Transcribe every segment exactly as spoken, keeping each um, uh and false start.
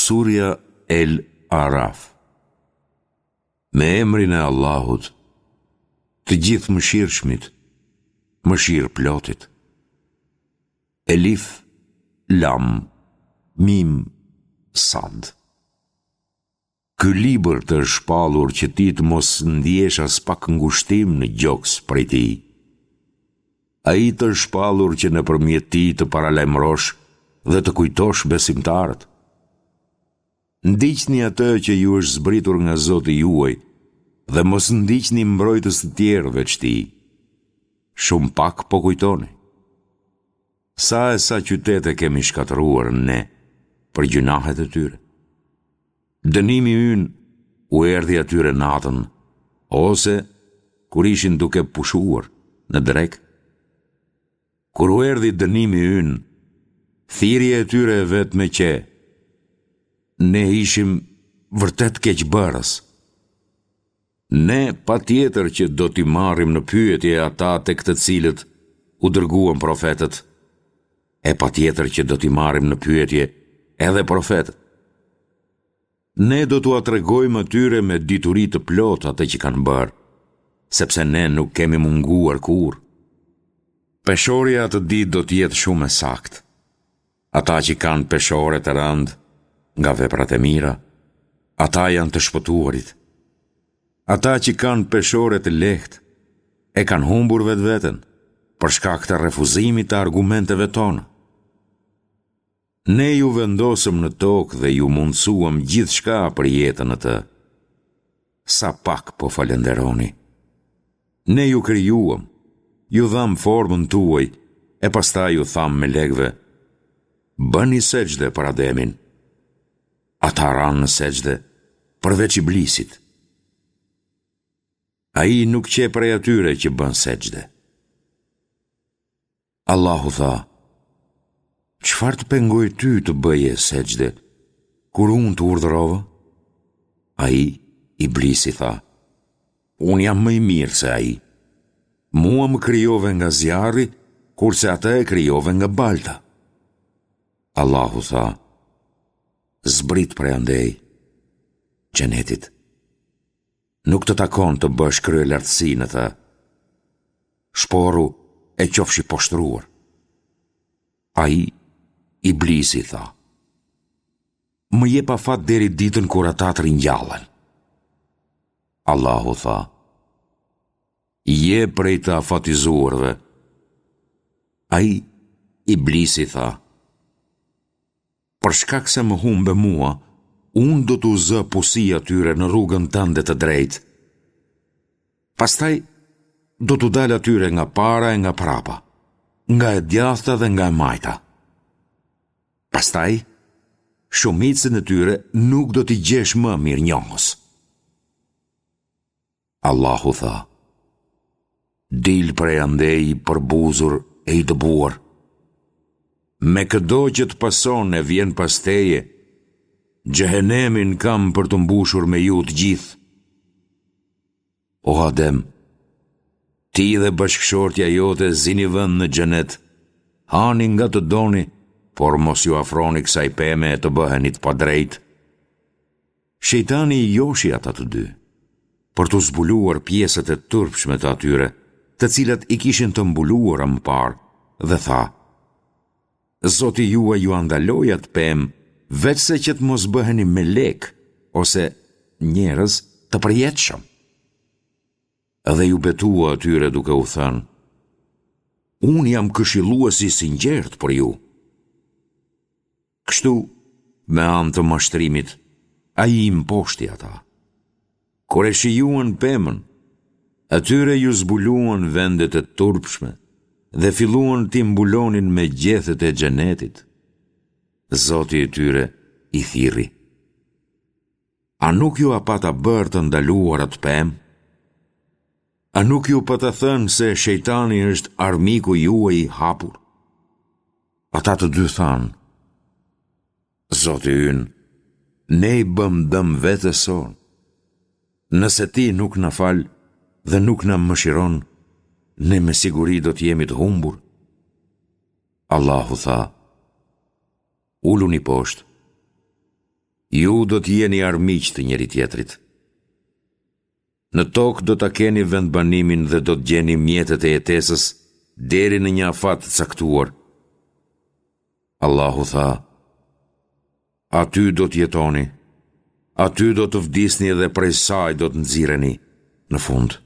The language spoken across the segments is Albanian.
Surja El Araf. Me emrin e Allahut, të Gjithëmëshirshmit, Mëshirëplotit. Elif, Lam, Mim, Sad. Ky libër të është shpallur që ti të mos ndjesh aspak ngushtim në gjoks prej tij. Ai të është shpallur që nëpërmjet tij të paralajmërosh dhe të kujtosh besimtarët. Ndiqni atë që ju është zbritur nga Zoti juaj dhe mos ndiqni mbrojtës të tjerë veç tij. Shumë pak po kujtoni. Sa e sa qytete kemi shkatërruar ne për gjynahet e tyre. Dënimi ynë u erdhi atyre natën, ose kur ishin duke pushuar në drekë. Kur u erdhi dënimi ynë, thirrja e tyre e vetme qe, ne ishim vërtet keqbërës. Ne patjetër që do t'i marrim në pyetje ata tek të cilët u dërguan profetët, e patjetër që do t'i marrim në pyetje edhe profetët. Ne do t'ua tregojmë atyre me dituri të plotë atë që kanë bërë, sepse ne nuk kemi munguar kurrë. Peshorja atë ditë do të jetë shumë e saktë. Ata që kanë peshore të rëndë nga veprat e mira, ata janë të shpëtuarit. Ata që kanë peshore të lehtë, e kanë humbur vetveten, për shkak të refuzimit të argumenteve tona. Ne ju vendosëm në tokë dhe ju mundësuam gjithçka për jetën në të. Sa pak po falënderoni. Ne ju krijuam, ju dhamë formën tuaj, e pastaj ju thamë melekëve, bëni sexhde për Ademin. Ata ranë në sexhde, përveç Iblisit. Ai nuk qe prej atyre që bënë sexhde. Allahu tha, çfarë të pengoi ty të bëje sexhde, kur unë të urdhërova? Ai, Iblisi tha, unë jam më i mirë se ai. Mua më krijove nga zjarri, kurse atë e krijove nga balta. Allahu tha, zbrit prej andej, xhenetit. Nuk të takon të bësh kryelartësi në të. Shporru e qofsh i poshtëruar. Ai, Iblisi, tha, më jep afat deri ditën kur ata të ringjallen. Allahu tha, je prej të afatizuarve. Ai, Iblisi, tha, Për shkak se më humbe mua, unë do t'u zë pusi atyre në rrugën tënde të drejtë. Pastaj do t'u dal atyre nga para e nga prapa, nga e djathta dhe nga e majta. Pastaj, shumicën e tyre nuk do t'i gjesh më mirënjohës. Allahu tha, dil prej andej i përbuzur e i dëbuar. Me këdo që të pason e vjen pas teje, xhehenemin kam për të mbushur me ju të gjithë. O Adem, ti dhe bashkëshortja jote zini vend në xhenet, hani nga të doni, por mos iu afroni kësaj peme e të bëheni të padrejtë. Shejtani i joshi ata të dy, për t'u zbuluar pjesët e turpshme të atyre, të cilat i kishin të mbuluara më parë, dhe tha, Zoti juaj jua ndaloi atë pemë, veçse që të mos bëheni melekë ose njerëz të përjetshëm. Dhe iu betua atyre duke u thënë, Unë jam këshillues i sinqertë për ju. Kështu, me anë të mashtrimit, ai i mposhti ata. Kur e shijuan pemën, atyre iu zbuluan vendet e turpshme dhe filluan t'i mbulonin me gjethet e xhenetit. Zoti i tyre i thirri. A nuk jua pata bërë të ndaluar atë pemë? A nuk ju pata thënë se shejtani është armiku juaj i hapur? Ata të dy thanë, Zoti ynë, ne i bëmë dëm vetes sonë. Nëse ti nuk na fal dhe nuk na mëshiron, ne me siguri do të jemi të humbur. Allahu tha, uluni poshtë. Ju do të jeni armiq të njëri-tjetrit. Në tokë do ta keni vendbanimin dhe do të gjeni mjetet e jetesës deri në një afat të caktuar. Allahu tha: Aty do të jetoni, aty do të vdisni dhe prej saj do të nxirreni në fund.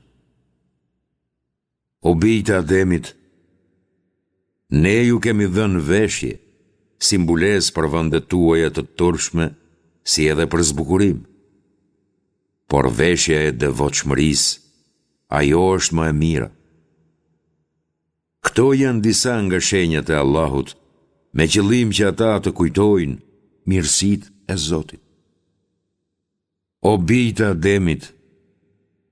O bijtë e Ademit, ne ju kemi dhënë veshje, si mbulesë për vendet tuaja të turpshme, si edhe për zbukurim. Por veshja e devotshmërisë, ajo është më e mira. Këto janë disa nga shenjat e Allahut, me qëllim që ata të kujtojnë mirësitë e Zotit. O bijtë e Ademit,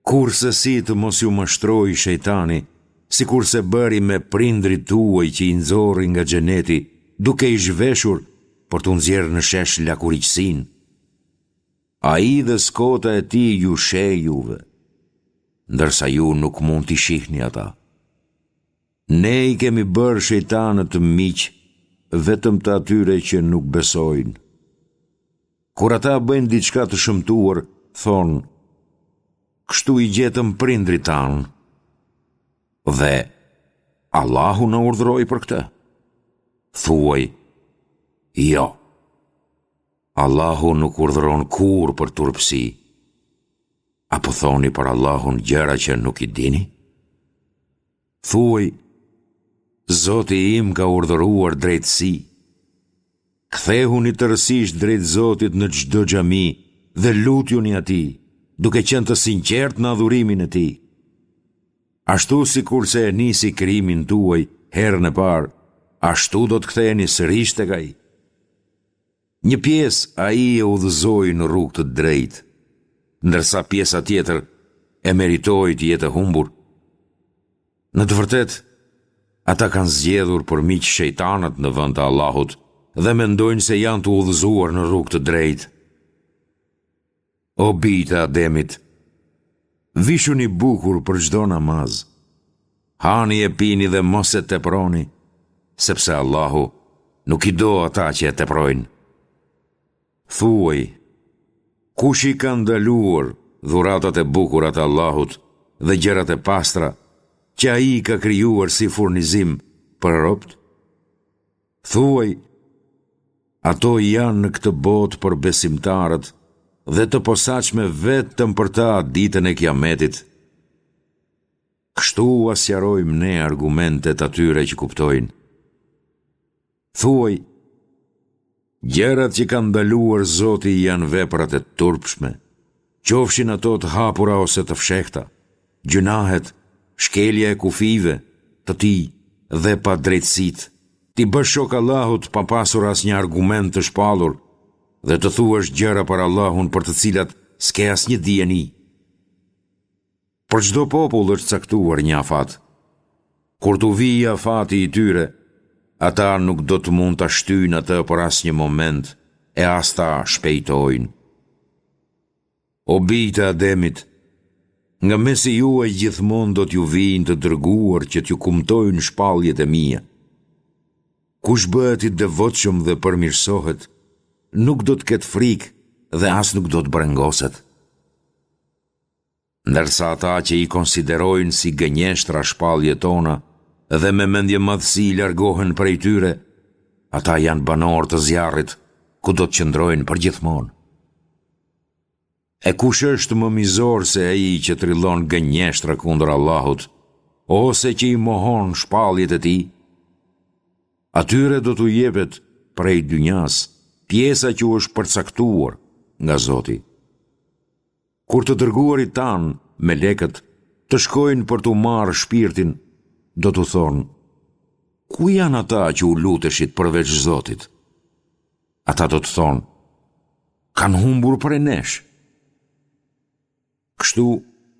kurrsesi të mos ju mashtrojë shejtani, sikurse bëri me prindërit tuaj që i nxori nga xheneti, duke i zhveshur për t'u nxjerrë në shesh lakuriqësinë. Ai dhe skota e tij ju sheh juve, ndërsa ju nuk mund t'i shihni ata. Ne i kemi bërë shejtanët miq vetëm të atyre që nuk besojnë. Kur ata bëjnë diçka të shëmtuar, thonë, kështu i gjetëm prindërit tanë. Dhe Allahu na urdhëroi për këtë. Thuaj, jo. Allahu nuk urdhëron kurrë për turpësi. A po thoni për Allahun gjëra që nuk i dini? Thuaj, Zoti im ka urdhëruar drejtësi. Kthehuni tërësisht drejt Zotit në çdo xhami dhe lutjuni atij, duke qenë të sinqertë në adhurimin e tij. Ashtu sikurse e nisi krijimin tuaj herën e parë, ashtu do të ktheheni sërish tek ai. Një pjesë ai e udhëzoi në rrugë të drejtë, ndërsa pjesa tjetër e meritoi të jetë e humbur. Në të vërtetë, ata kanë zgjedhur për miq shejtanët në vend të Allahut dhe mendojnë se janë të udhëzuar në rrugë të drejtë. O bijtë e Ademit, vishuni bukur për çdo namaz. Hani e pini dhe mos e teproni, sepse Allahu nuk i do ata që e teprojnë. Thuaj, kush i ka ndaluar dhuratat e bukura të Allahut dhe gjërat e pastra që ai i ka krijuar si furnizim për robët? Thuaj, ato janë në këtë botë për besimtarët dhe të posaçme vetëm për ta ditën e Kiametit. Kështu ua sqarojmë ne argumentet atyre që kuptojnë. Thuaj, gjërat që ka ndaluar Zoti janë veprat e turpshme, qofshin ato të hapura ose të fshehta, gjynahet, shkelja e kufijve të tij dhe padrejtësitë, t'i bësh shok Allahut pa pasur asnjë argument të shpallur dhe të thuash gjëra për Allahun për të cilat s'ke asnjë dijeni. Për çdo popull është caktuar një afat. Kur t'u vijë afati i tyre, ata nuk do të mund ta shtyjnë atë për asnjë moment e as ta shpejtojnë. O bijtë e Ademit, nga mesi juaj gjithmonë do t'ju vijnë të dërguar që t'ju kumtojnë shpalljet e mia. Kush bëhet i devotshëm dhe përmirësohet, nuk do të ketë frikë dhe as nuk do të brengoset. Ndërsa ata që i konsiderojnë si gënjeshtra shpalljet tona dhe me mendjemadhësi largohen prej tyre, ata janë banorë të zjarrit, ku do të qëndrojnë përgjithmonë. E kush është më mizor se ai që trillon gënjeshtra kundër Allahut, ose që i mohon shpalljet e tij? Atyre do t'u jepet prej dynjasë pjesa që u është përcaktuar nga Zoti. Kur të dërguarit tanë, melekët, të shkojnë për t'u marrë shpirtin, do t'u thonë, Ku janë ata që u luteshit përveç Zotit? Ata do të thonë, Kanë humbur prej nesh. Kështu,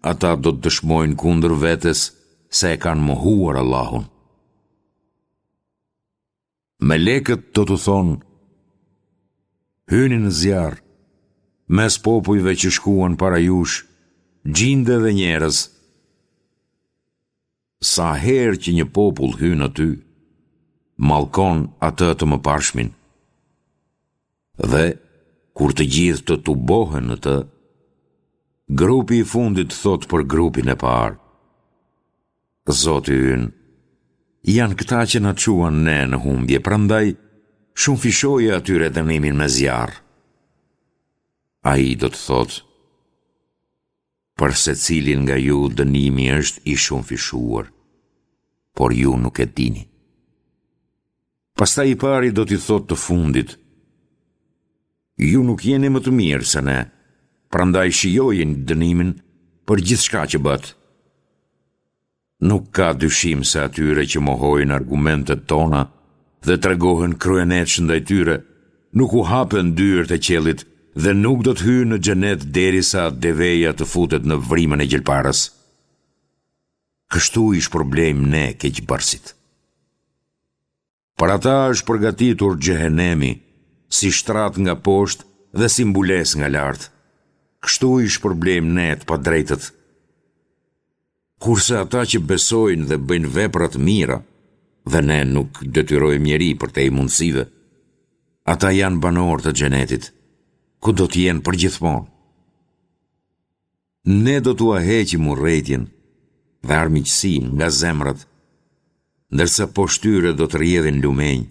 ata do të dëshmojnë kundër vetes se e kanë mohuar Allahun. Melekët do t'u thonë, Hyni në zjarr, mes popujve që shkuan para jush, xhinde dhe njerëz. Sa herë që një popull hyn aty, mallkon atë të mëparshmin. Dhe kur të gjithë të tubohen në të, grupi i fundit thotë për grupin e parë: Zoti ynë, janë këta që na çuan ne në humbje, prandaj shumëfishoje atyre dënimin me zjarr. Ai do të thotë: Për secilin nga ju dënimi është i shumëfishuar, por ju nuk e dini. Pastaj i pari do t'i thotë të fundit: Ju nuk jeni më të mirë se ne, prandaj shijojeni dënimin për gjithçka që bëtë. Nuk ka dyshim se atyre që mohojnë argumentet tona dhe tregohen kryeneç ndaj tyre, nuk u hapen dyert e qiellit dhe nuk do të hyjnë në xhenet derisa deveja të futet në vrimën e gjilparës. Kështu i shpërblejmë ne keqbërësit. Për ata është përgatitur xhehenemi, si shtrat nga poshtë dhe si mbulesë nga lart. Kështu i shpërblejmë ne të padrejtët. Kurse ata që besojnë dhe bëjnë vepra të mira, dhe ne nuk detyrojmë njeri përtej mundësive, ata janë banorë të xhenetit, ku do të jenë përgjithmonë. Ne do t'ua heqim urrejtjen dhe armiqësinë nga zemrat, ndërsa poshtë tyre do të rrjedhin lumenj.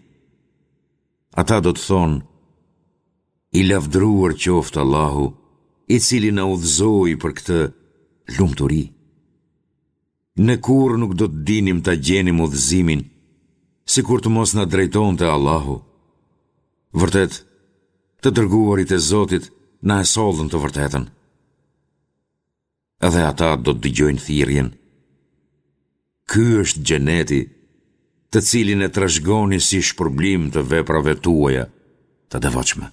Ata do të thonë: I lavdëruar qoftë Allahu, i cili na udhëzoi për këtë lumturi. Ne kurrë nuk do të dinim ta gjenim udhëzimin, sikur të mos na drejtonte Allahu. Vërtet, të dërguarit e Zotit na e sollën të vërtetën. Dhe ata do të dëgjojnë thirrjen: Ky është xheneti, të cilin e trashëgoni si shpërblim të veprave tuaja të devotshme.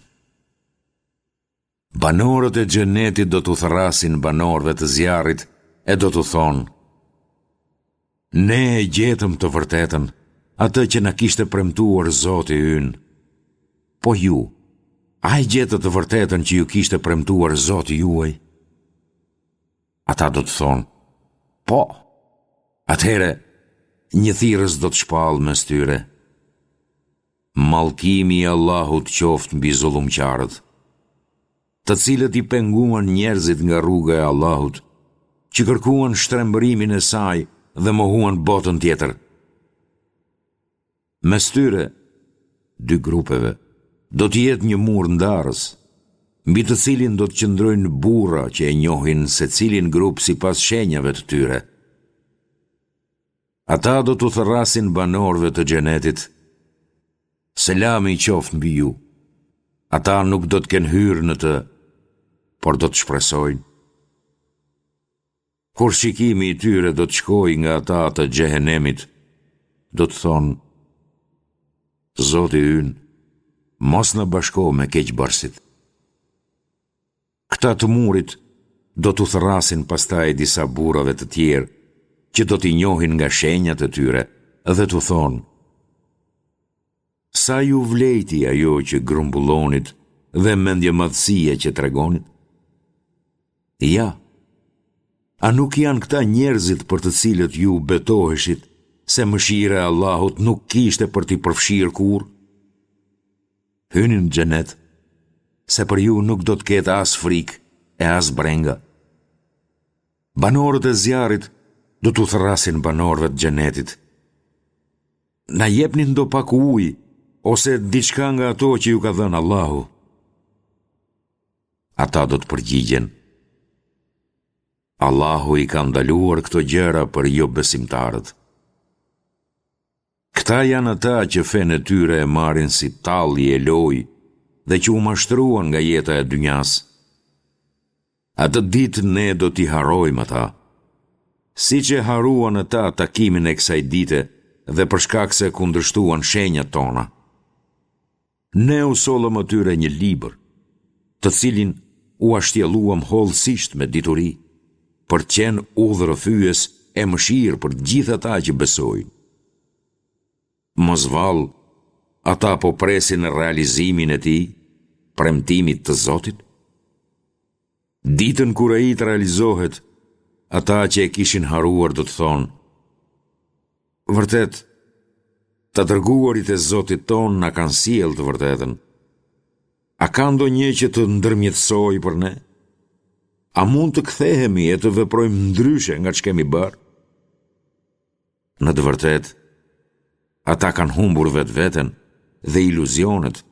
Banorët e xhenetit do t'u thërrasin banorëve të zjarrit e do t'u thonë: Ne e gjetëm të vërtetën, atë që na kishte premtuar Zoti ynë. Po ju, a e gjetët të vërtetën që ju kishte premtuar Zoti juaj? Ata do të thonë: Po. Atëherë, një thirrës do të shpallë mes tyre: Mallkimi i Allahut qoftë mbi zullumqarët, të cilët i penguan njerëzit nga rruga e Allahut, që kërkuan shtrembërimin e saj dhe mohuan botën tjetër. Mes tyre, dy grupeve, do të jetë një mur ndarës, mbi të cilin do të qëndrojnë burra që e njohin secilin grup sipas shenjave të tyre. Ata do t'u thërrasin banorëve të xhenetit: Selami qoftë mbi ju. Ata nuk do të kenë hyrë në të, por do të shpresojnë. Kur shikimi i tyre do të shkojë nga ata të xhehenemit, do të thonë: Zoti ynë, mos na bashko me keqbërësit. Këta të murit do t'u thërrasin pastaj disa burrave të tjerë që do t'i njohin nga shenjat e tyre dhe t'u thonë: Sa ju vlejti ajo që grumbullonit dhe mendjemadhësia që tregonit? Ja, a nuk janë këta njerëzit për të cilët ju betoheshit se mëshira e Allahut nuk kishte për t'i përfshirë kurrë? Hyni në xhenet, se për ju nuk do të ketë as frikë e as brenga. Banorët e zjarrit do t'u thërrasin banorëve të xhenetit: Na jepni ndopak ujë ose diçka nga ato që ju ka dhënë Allahu. Ata do të përgjigjen: Allahu i ka ndaluar këto gjëra për jobesimtarët. Këta janë ata që fenë e tyre e marrin si tallje e lojë dhe që u mashtruan nga jeta e dynjasë. Atë ditë ne do t'i harrojmë ata, siç e harruan ata takimin e kësaj dite dhe për shkak se kundërshtuan shenjat tona. Ne u sollëm atyre një libër, të cilin ua shtjelluam hollësisht me dituri, për të qenë udhërrëfyes e mëshirë për të gjithë ata që besojnë. Mos vallë, ata po presin realizimin e tij, premtimit të Zotit? Ditën kur ai të realizohet, ata që e kishin harruar do të thonë: Vërtet, të dërguarit e Zotit tonë na kanë sjellë të vërtetën. A ka ndonjë që të ndërmjetësojë për ne? A mund të kthehemi e të veprojmë ndryshe nga ç'kemi bërë? Në të vërtetë, ata kanë humbur vetveten dhe iluzionet,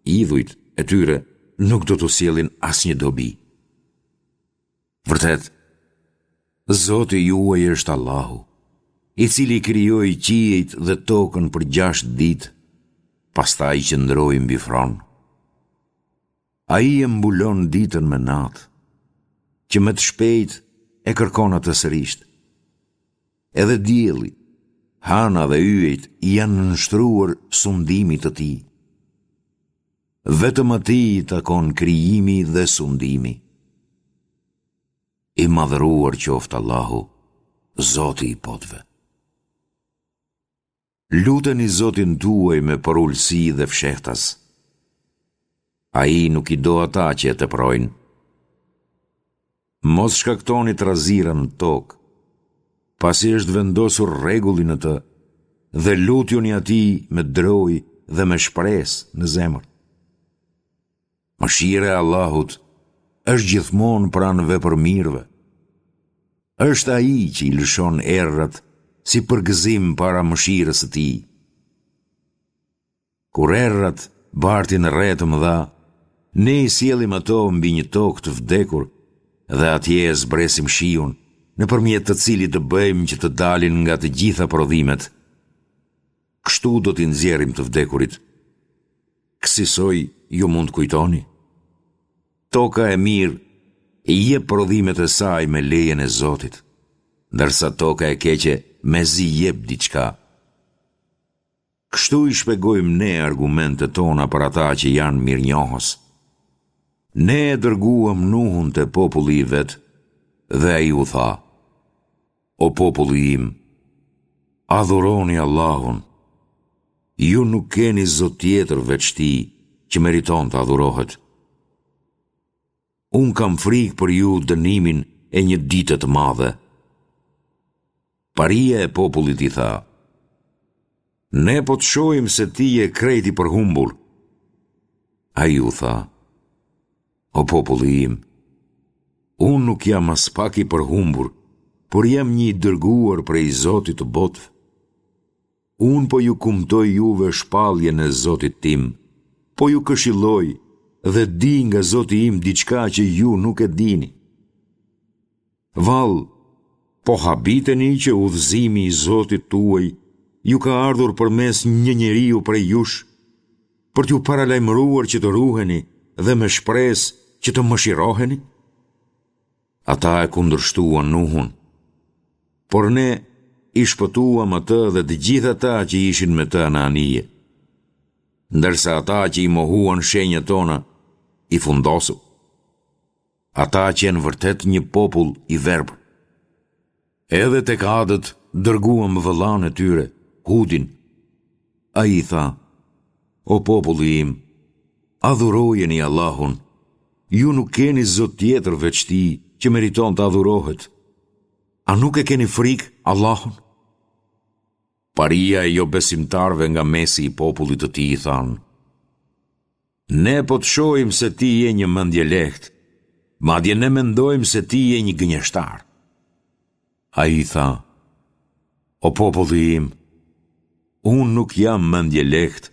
idhujt e tyre nuk do t'u sjellin asnjë dobi. Vërtet, Zoti juaj është Allahu, i cili krijoi qiejt dhe tokën për gjashtë ditë, pastaj qëndroi mbi fron. Ai e mbulon ditën me natë, që me të shpejtë e kërkon atë sërisht. Edhe dielli, hëna dhe yjet i janë nënshtruar sundimit të tij. Vetëm atij i takon krijimi dhe sundimi. I madhëruar qoftë Allahu, Zoti i botëve. Luteni Zotin tuaj me përulësi dhe fshehtas. Ai nuk i do ata që e teprojnë. Mos shkaktoni trazira në tokë, pasi është vendosur rregulli në të, dhe lutjuni atij me drojë dhe me shpresë në zemër. Mëshira e Allahut është gjithmonë pranë vepërmirëve. Është Ai që i lëshon erërat si përgëzim para mëshirës së Tij. Kur erërat bartin re të mëdha, ne i sjellim ato mbi një tokë të vdekur dhe atje e zbresim shiun, nëpërmjet të cilit të bëjmë që të dalin nga të gjitha prodhimet. Kështu do t'i nxjerrim të vdekurit. Kësisoj ju mund të kujtoni? Toka e mirë i jep prodhimet e saj me lejen e Zotit, ndërsa toka e keqe mezi jep diçka. Kështu i shpjegojmë ne argumentet tona për ata që janë mirënjohës. Ne e dërguam Nuhun te populli i vet dhe ai u tha: O populli im, adhuroni Allahun. Ju nuk keni zot tjetër veç Tij që meriton të adhurohet. Unë kam frikë për ju dënimin e një dite të madhe. Paria e popullit i tha, Ne po të shohim se ti je krejt i përhumbur. Ai u tha, O populli im, unë nuk jam aspak i përhumbur, por jam një i dërguar prej Zotit të botëve. Unë po ju kumtoj juve shpalljen e Zotit tim, po ju këshilloj dhe di nga Zoti im diçka që ju nuk e dini. Vallë, po habiteni që udhëzimi i Zotit tuaj ju ka ardhur përmes një njeriu prej jush, për t'ju paralajmëruar që të ruheni dhe me shpresë që të mëshiroheni? Ata e kundërshtuan Nuhun, por ne i shpëtuam atë dhe të gjithë ata që ishin me të në anije. Ndërsa ata që i mohuan shenjat tona, i fundosëm. Ata qenë vërtet një popull i verbër. Edhe tek Adët dërguam vëllanë e tyre, Hudin. Ai i tha, O populli im, adhurojeni Allahun, ju nuk keni zot tjetër veç Tij që meriton të adhurohet. A nuk e keni frikë Allahun? Paria e jobesimtarëve nga mesi i popullit të tij i thanë, Ne po të shohim se ti je një mendjelehtë, madje ne mendojmë se ti je një gënjeshtar. Ai i tha, O populli im, unë nuk jam mendjelehtë,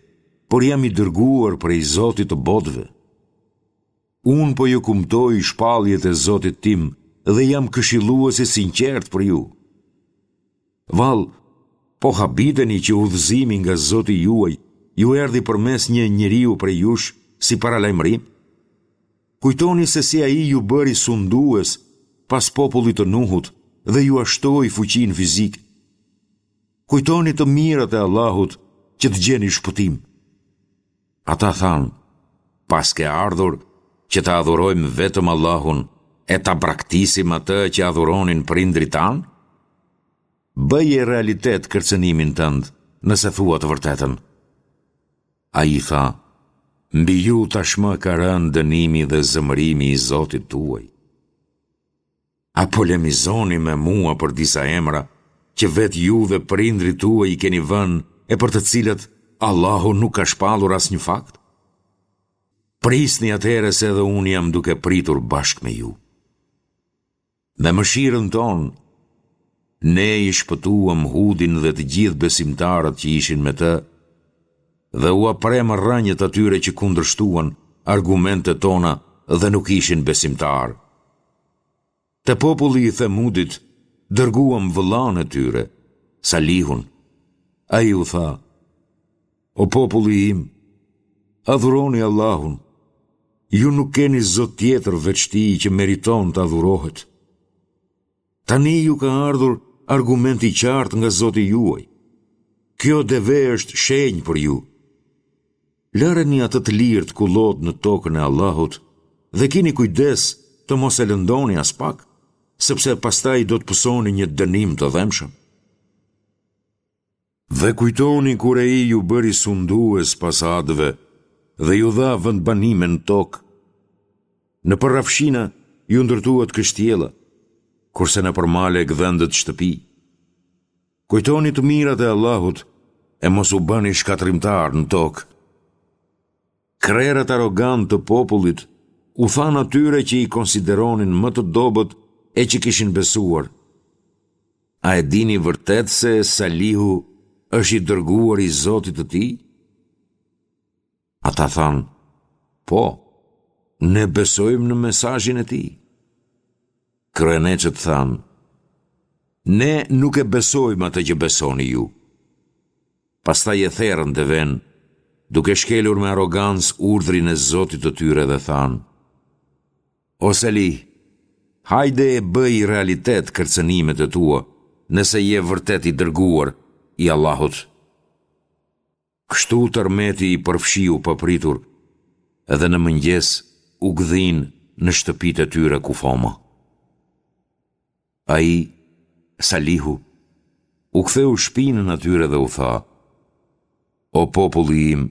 por jam i dërguar prej Zotit të botëve. Unë po ju kumtoj shpalljet e Zotit tim dhe jam këshillues i sinqertë për ju. Vallë, po habiteni që udhëzimi nga Zoti juaj ju erdhi përmes një njeriu prej jush si paralajmërim? Kujtoni se si ai ju bëri sundues pas popullit të Nuhut dhe jua shtoi fuqinë fizike. Kujtoni të mirat e Allahut që të gjeni shpëtim. Ata thanë, paske ardhur që të adhurojmë vetëm Allahun e ta braktisim atë që adhuronin prindërit tanë? Bëje realitet kërcënimin tënd, nëse thua të vërtetën. Ai tha, mbi ju tashmë ka rënë dënimi dhe zemërimi i Zotit tuaj. A polemizoni me mua për disa emra që vetë ju dhe prindërit tuaj i keni vënë e për të cilët Allahu nuk ka shpallur asnjë fakt? Prisni atëherë se edhe unë jam duke pritur bashkë me ju. Me mëshirën tonë, ne i shpëtuam Hudin dhe të gjithë besimtarët që ishin me të dhe ua premë rrënjët atyre që kundërshtuan argumentet tona dhe nuk ishin besimtarë. Te populli i Themudit dërguam vëllanë e tyre, Salihun. Ai u tha, O populli im, adhuroni Allahun, ju nuk keni zot tjetër veç tij që meriton të adhurohet. Tani ju ka ardhur argument i qartë nga Zoti juaj. Kjo deve është shenjë për ju. Lëreni atë të lirë të kullotë në tokën e Allahut dhe kini kujdes të mos e lëndoni aspak, sepse pastaj do të pësoni një dënim të dhembshëm. Dhe kujtoni kur ai ju bëri sundues pas Adëve dhe ju dha vendbanime në tokë. Nëpër rrafshina ju ndërtuat kështjella, kurse nëpër male gdhendët shtëpi. Kujtoni të mirat e Allahut e mos u bëni shkatërrimtarë në tokë. Krerët arrogantë të popullit u thanë atyre që i konsideronin më të dobët e që kishin besuar, A e dini vërtet se Salihu është i dërguar i Zotit të tij? Ata thanë, po, ne besojmë në mesazhin e tij. Kryeneçët thanë, ne nuk e besojmë atë që besoni ju. Pastaj e therën devenë, duke shkelur me arrogancë urdhrin e Zotit të tyre dhe thanë, O Salih, hajde e bëj realitet kërcënimet e tua, nëse je vërtet i dërguar i Allahut. Kështu tërmeti i përfshiu papritur dhe në mëngjes u gdhinë në shtëpitë e tyre kufoma. Ai, Salihu, u ktheu shpinën atyre dhe u tha, O populli im,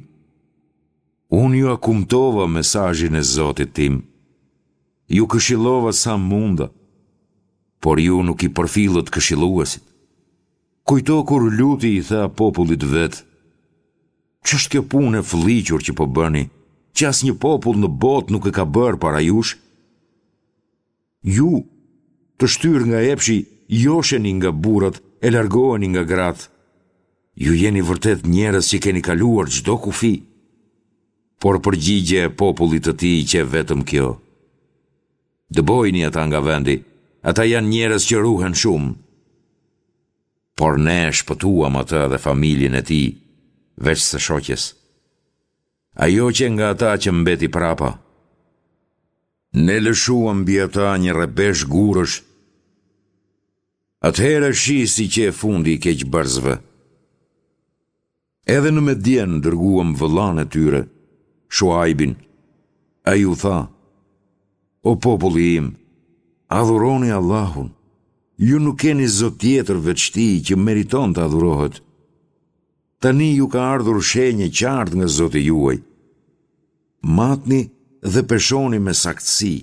unë jua kumtova mesazhin e Zotit tim, ju këshillova sa munda, por ju nuk i përfillët këshilluesit. Kujto kur Luti i tha popullit të vet, Ç'është kjo punë e fëlliqur që po bëni, që asnjë popull në botë nuk e ka bërë para jush? Ju, të shtyrë nga epshi, josheni nga burrat e largoheni nga gratë. Ju jeni vërtet njerëz që keni kaluar çdo kufi. Por përgjigja e popullit të tij qe vetëm kjo. Dëbojini ata nga vendi, ata janë njerëz që ruhen shumë. Por ne e shpëtuam atë dhe familjen e tij, veç së shoqes. Ajo qe nga ata që mbeti prapa. Ne lëshuam mbi ata një rrebesh gurësh. Atëherë shih si qe fundi i keqbërësve. Edhe në Medjen dërguam vëllanë e tyre, Shuajbin. Ai u tha, O populli im, adhuroni Allahun, ju nuk keni zot tjetër veç tij që meriton të adhurohet. Tani ju ka ardhur shenjë e qartë nga Zoti juaj. Matni dhe peshoni me saktësi.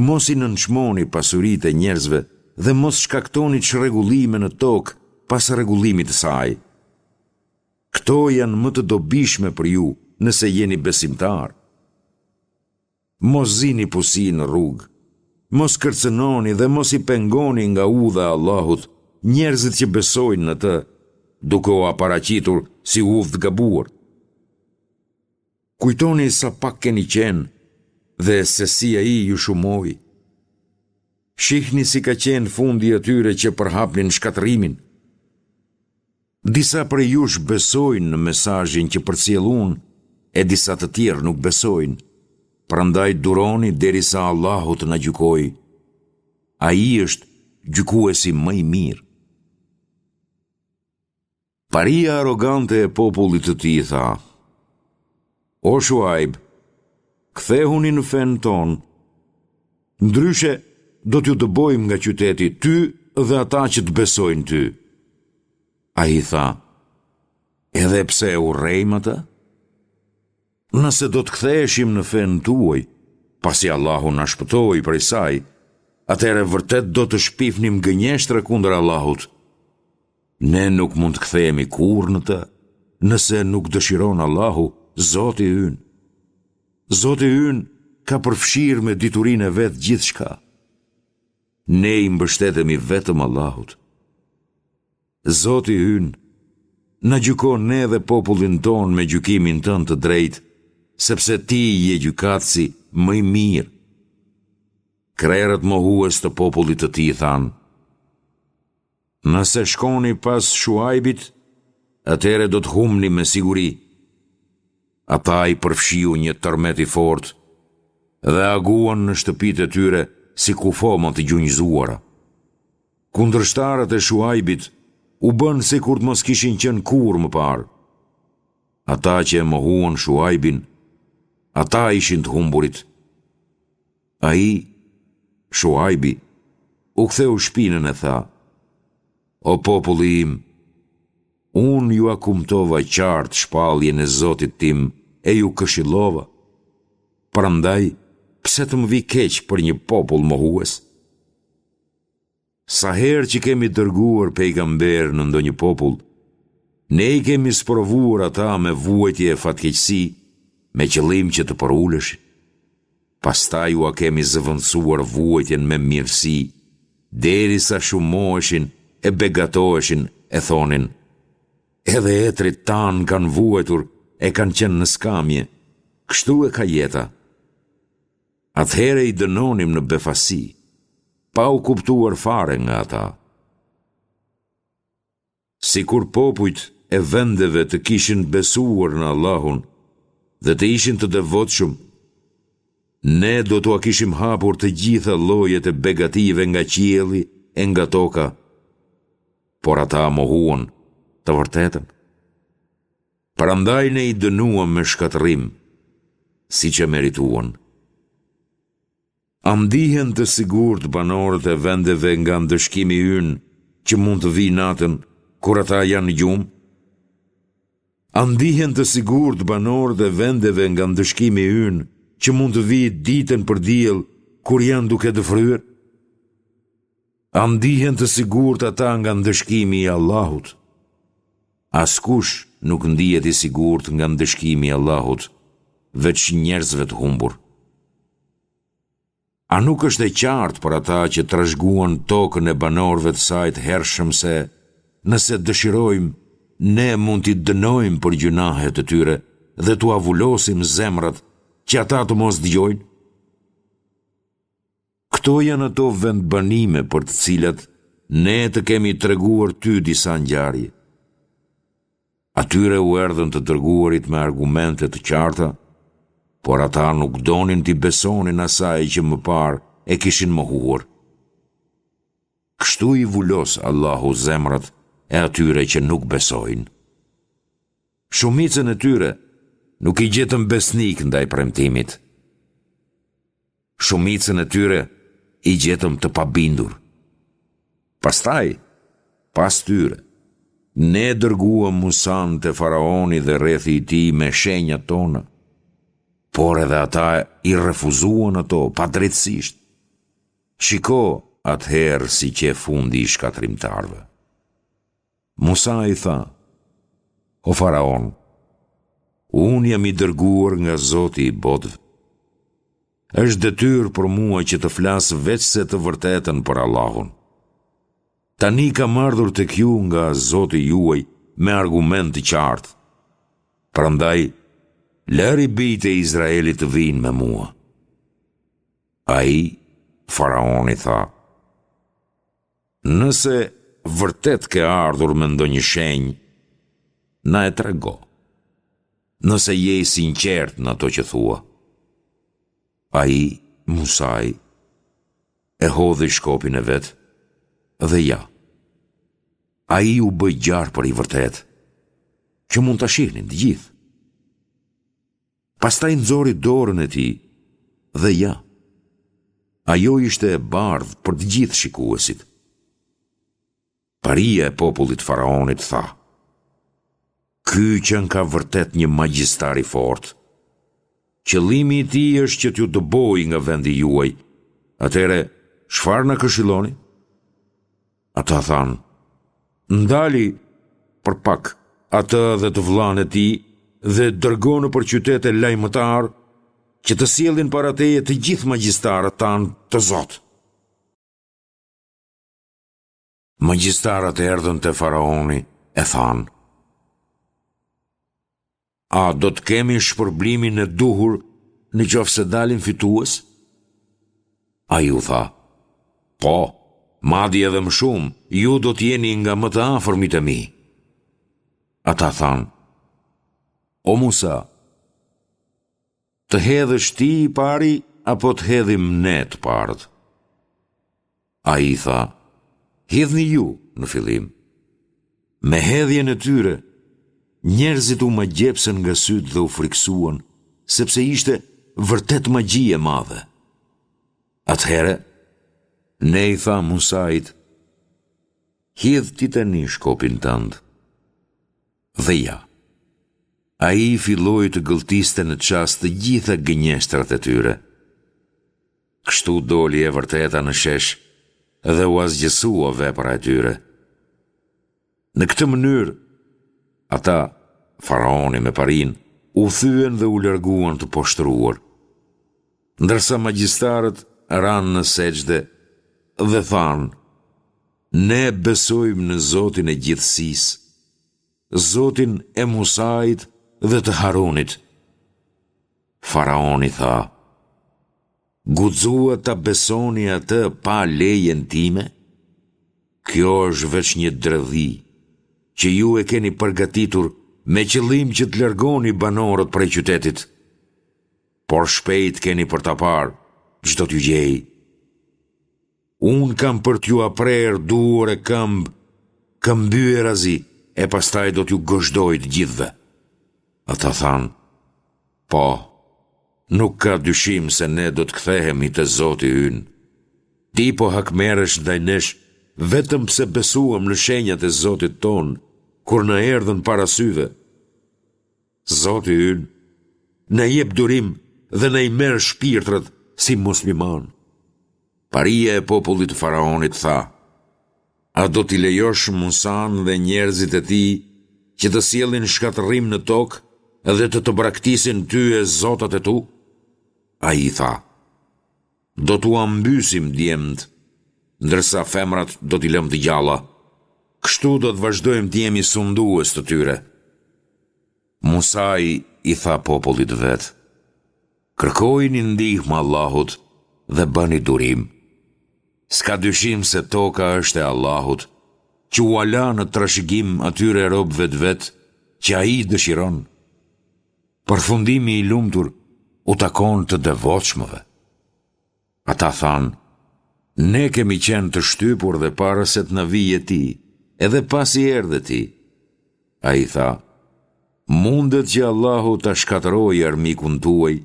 Mos i nënçmoni pasuritë e njerëzve dhe mos shkaktoni çrregullime në tokë pas rregullimit të saj. Këto janë më të dobishme për ju nëse jeni besimtarë. Mos zini pusi në rrugë, mos kërcënoni dhe mos i pengoni nga udha e Allahut njerëzit që besojnë në të, duke ua paraqitur si udhë të gabuar. Kujtoni sa pak keni qenë dhe se si ai ju shumoi. Shihni si ka qenë fundi i atyre që përhapnin shkatërrimin. Disa prej jush besojnë në mesazhin që përcjell unë e disa të tjerë nuk besojnë. Prandaj duroni derisa Allahu të na gjykojë. Ai është gjykuesi më i mirë. Paria arrogante e popullit të tij tha: O Shuajb, kthehuni në fenë tonë. Ndryshe do t'ju dëbojmë nga qyteti ty dhe ata që të besojnë ty. Ai tha, edhe pse e urrejmë atë? Nëse do të ktheheshim në fenë tuaj, pasi Allahu na shpëtoi prej saj, atëherë vërtet do të shpifnim gënjeshtra kundër Allahut. Ne nuk mund të kthehemi kurrë në të, nëse nuk dëshiron Allahu, Zoti ynë. Zoti ynë ka përfshirë me diturinë e vet gjithçka. Ne i mbështetemi vetëm Allahut. Zoti ynë, na gjyko ne dhe popullin tonë me gjykimin tënd të drejtë, sepse ti je gjykatësi më i mirë. Krerët mohues të popullit të tij thanë, Nëse shkoni pas Shuajbit, atëherë do të humbni me siguri. Ata i përfshiu një tërmet i fortë dhe aguan në shtëpitë e tyre si kufoma të gjunjëzuara. Kundërshtarët e Shuajbit u bënë sikur të mos kishin qenë kurrë më parë. Ata që e mohuan Shuajbin, ata ishin të humburit. Ai, Shuajbi, u ktheu shpinën e tha, O populli im, unë jua kumtova qartë shpalljen e Zotit tim e ju këshillova. Prandaj, pse të më vijë keq për një popull mohues? Sa herë që kemi dërguar pejgamberë në ndonjë popull, ne i kemi sprovuar ata me vuajtje e fatkeqësi, me qëllim që të përuleshin. Pastaj ua kemi zëvendësuar vuajtjen me mirësi, derisa shumoheshin e begatoheshin e thonin, edhe etërit tanë kanë vuajtur e kanë qenë në skamje, kështu e ka jeta. Atëherë i dënonim në befasi, pa u kuptuar fare nga ata. Sikur popujt e vendeve të kishin besuar në Allahun dhe të ishin të devotshëm, ne do t'ua kishim hapur të gjitha llojet e begative nga qielli e nga toka, por ata mohuan të vërtetën. Prandaj ne i dënuam me shkatërrim, siç e merituan. A ndihen të sigurt banorët e vendeve nga ndëshkimi ynë që mund të vijë natën, kur ata janë në gjumë? A ndihen të sigurt banorët e vendeve nga ndëshkimi ynë që mund të vijë ditën për diell, kur janë duke dëfryer? A ndihen të sigurt ata nga ndëshkimi i Allahut? Askush nuk ndihet i sigurt nga ndëshkimi i Allahut, veç njerëzve të humbur. A nuk është e qartë për ata që trashëguan tokën e banorëve të saj të hershëm se, nëse dëshirojmë, ne mund t'i dënojmë për gjynahet e tyre dhe t'ua vulosim zemrat që ata të mos dëgjojnë? Këto janë ato vendbanime për të cilat ne të kemi treguar ty disa ngjarje. Atyre u erdhën të dërguarit me argumente të qarta, por ata nuk donin t'i besonin asaj që më parë e kishin mohuar. Kështu i vulos Allahu zemrat e atyre që nuk besojnë. Shumicën e tyre nuk i gjetëm besnikë ndaj premtimit. Shumicën e tyre i gjetëm të pabindur. Pastaj, pas tyre, ne dërguam Musanë te faraoni dhe rrethi i tij me shenjat tona, por edhe ata i refuzuan ato padrejtësisht. Shiko atëherë si qe fundi i shkatërrimtarëve. Musai tha, O faraon, unë jam i dërguar nga Zoti i botëve. Është detyrë për mua që të flas veçse të vërtetën për Allahun. Tani kam ardhur tek ju nga Zoti juaj me argument të qartë. Prandaj, lëri bijtë e Izraelit të vijnë me mua. Ai, faraoni tha, Nëse vërtet ke ardhur me ndonjë shenjë, na e trego. Nëse je i sinqertë në ato që thua. Ai, Musai, e hodhi shkopin e vet dhe ja. Ai u bë gjarpër i vërtetë, që mund ta shihnin të gjithë. Pastaj nxori dorën e tij dhe ja, ajo ishte e bardhë për të gjithë shikuesit. Paria e popullit të faraonit tha, Ky qenka vërtet një magjistar i fortë. Qëllimi i tij është që t'ju dëbojë nga vendi juaj. Atëherë, çfarë na këshilloni? Ata thanë, Ndali për pak atë dhe të vëllanë e tij dhe dërgo nëpër qytete lajmëtarë që të sjellin para teje të gjithë magjistarët tanë të zotë. Magjistarët erdhën te faraoni e thanë: A do të kemi shpërblimin e duhur në qoftë se dalim fitues? Ai u tha: Po, madje edhe më shumë, ju do të jeni nga më të afërmit e mi. Ata thanë: O Musa, të hedhësh ti i pari apo të hedhim ne të parët? Ai tha, hidhni ju në fillim. Me hedhjen e tyre, njerëzit u magjepsën nga sytë dhe u frikësuan, sepse ishte vërtet magji e madhe. Atëherë, ne i thamë Musait, hidh ti tani shkopin tënd. Dhe ja, ai filloi të gëlltiste në çast të gjitha gënjeshtrat e tyre. Kështu doli e vërteta në shesh dhe u asgjësua vepra e tyre. Në këtë mënyrë, ata, faraoni me parinë, u thyen dhe u larguan të poshtëruar. Ndërsa magjistarët ranë në sexhde dhe thanë, Ne besojmë në Zotin e gjithësisë, Zotin e Musait dhe të Harunit. Faraoni tha, Guxuat ta besoni atë pa lejen time? Kjo është veç një dredhi, që ju e keni përgatitur me qëllim që të largoni banorët prej qytetit. Por shpejt keni për ta parë, ç'do t'ju gjejë. Unë kam për t'jua prerë duar e këmbë, këmbyerazi, e pastaj do t'ju gozhdoj të gjithëve. Ata thanë, po, nuk ka dyshim se ne do të kthehemi te Zoti ynë. Ti po hakmerresh ndaj nesh vetëm pse besuam në shenjat e Zotit tonë, kur na erdhën para syve. Zoti ynë, na jep durim dhe na i merr shpirtrat si muslimanë. Paria e popullit të faraonit tha, a do t'i lejosh Musanë dhe njerëzit e tij që të sjellin shkatërrim në tokë dhe të të braktisin ty e zotat e tu? Ai tha, do t'ua mbysim djemtë, ndërsa femrat do t'i lëmë të gjalla. Kështu do të vazhdojmë të jemi sundues të tyre. Musai i tha popullit të vet, kërkojini ndihmë Allahut dhe bëni durim. S'ka dyshim se toka është e Allahut, që ua la në trashëgim atyre robëve të vet që ai dëshiron. Përfundimi i lumtur u takon të devotshmëve. Ata thanë, ne kemi qenë të shtypur dhe para se të na vije ti, edhe pasi erdhe ti. Ai tha, mundet që Allahu ta shkatërrojë armikun tuaj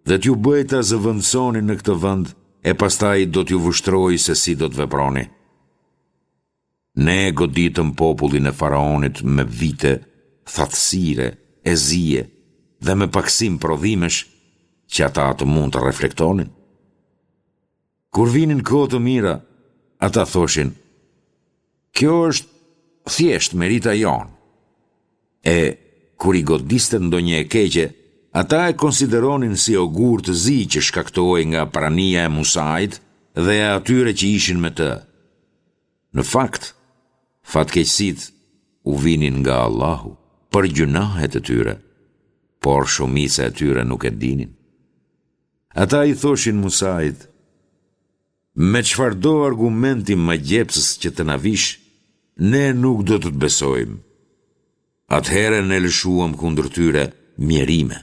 dhe t'ju bëjë ta zëvendësoni në këtë vend e pastaj do t'ju vështrojë se si do të veproni. Ne e goditëm popullin e faraonit me vite thatësire e zie dhe me pakësim prodhimesh që ata të mund të reflektonin. Kur vinin kohë të mira, ata thoshin, kjo është thjesht merita jonë. E, kur i godiste ndonjë e keqe, ata e konsideronin si ogur të zi që shkaktohej nga prania e Musait dhe e atyre që ishin me të. Në fakt, fatkeqësitë u vinin nga Allahu për gjynahet e tyre, por shumica e tyre nuk e dinin. Ata i thoshin Musait, me çfarëdo argumenti magjepsës që të na vish, ne nuk do të të besojmë. Atëherë ne lëshuam kundër tyre mjerime.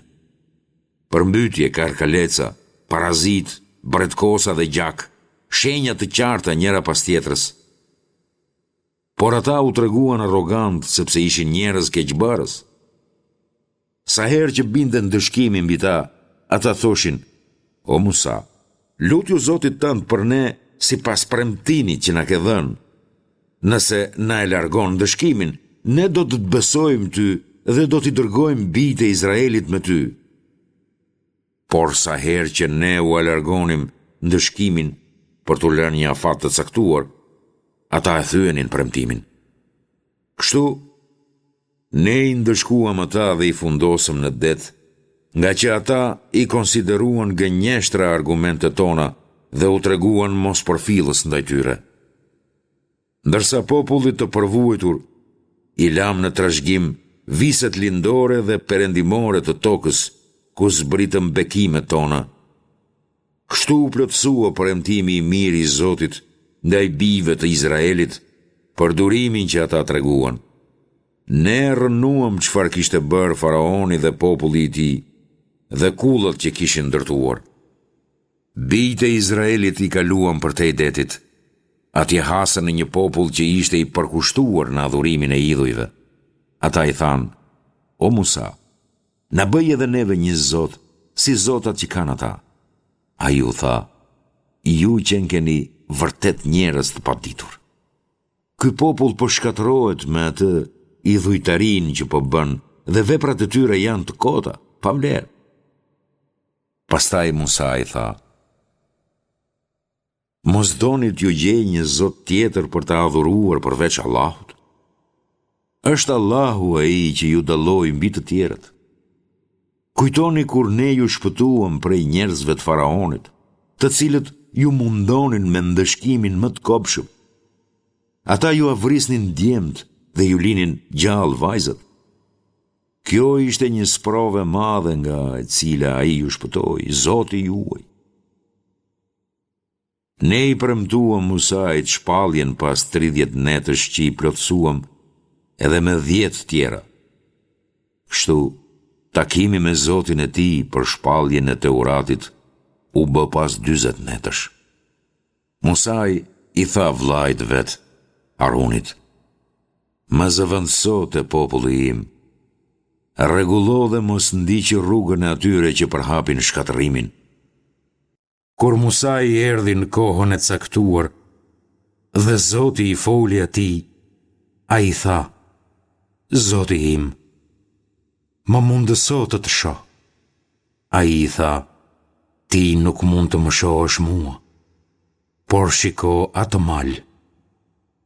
Përmbytje, karkaleca, parazitë, bretkosa dhe gjak, shenja të qarta njëra pas tjetrës. Por ata u treguan arrogantë sepse ishin njerëz keqbërës. Sa herë që binte ndëshkimi mbi ta, ata thoshin, O Musa, lutju Zotit tënd për ne sipas premtimit që na ke dhënë. Nëse na e largon ndëshkimin, ne do të të besojmë ty dhe do t'i dërgojmë bijtë e Izraelit me ty. Por sa herë që ne ua largonim ndëshkimin për t'u lënë një afat të caktuar, ata e thyenin premtimin. Kështu, ne i ndëshkuam ata dhe i fundosëm në det, Ngaqë ata i konsideruan gënjeshtra argumentet tona dhe u treguan mospërfillës ndaj tyre. Ndërsa popullit të përvuajtur i lamë në trashëgim viset lindore dhe perëndimore të tokës, ku zbritëm bekimet tona. Kështu u plotësua premtimi i mirë i Zotit ndaj bijve të Izraelit për durimin që ata treguan. Ne rrënuam çfarë kishte bërë faraoni dhe populli i tij dhe kullat që kishin ndërtuar. Bijtë e Izraelit i kaluam përtej detit. Atje hasën në një popull që ishte i përkushtuar në adhurimin e idhujve. Ata i thanë, O Musa, na bëj edhe neve një zot, si zotat që kanë ata. Ai u tha, Ju qenkeni vërtet njerëz të paditur. Ky popull po shkatërrohet me atë idhujtarinë që po bën dhe veprat e tyre janë të kota, pa vlerë. Pastaj Musai tha, Mos doni t'ju gjej një zot tjetër për ta adhuruar përveç Allahut? Është Allahu ai që ju dalloi mbi të tjerët. Kujtoni kur ne ju shpëtuam prej njerëzve të faraonit, të cilët ju mundonin me ndëshkimin më të kobshëm. Ata jua vrisnin djemtë dhe ju linin gjallë vajzat. Kjo ishte një sprovë e madhe nga e cila ai ju shpëtoi, Zoti juaj. Ne i premtuam Musait shpalljen pas tridhjetë netësh që i plotësuam edhe me dhjetë tjera. Kështu, takimi me Zotin e tij për shpalljen e Teuratit u bë pas dyzet netësh. Musai i tha vëllait të vet, Harunit, Më zëvendëso te populli im. Rregullo dhe mos ndiq rrugën e atyre që përhapin shkatërrimin. Kur Musai erdhi në kohën e caktuar dhe Zoti i foli atij, ai tha, Zoti im, më mundëso të të shoh. Ai i tha, Ti nuk mund të më shohësh mua. Por shiko atë mal.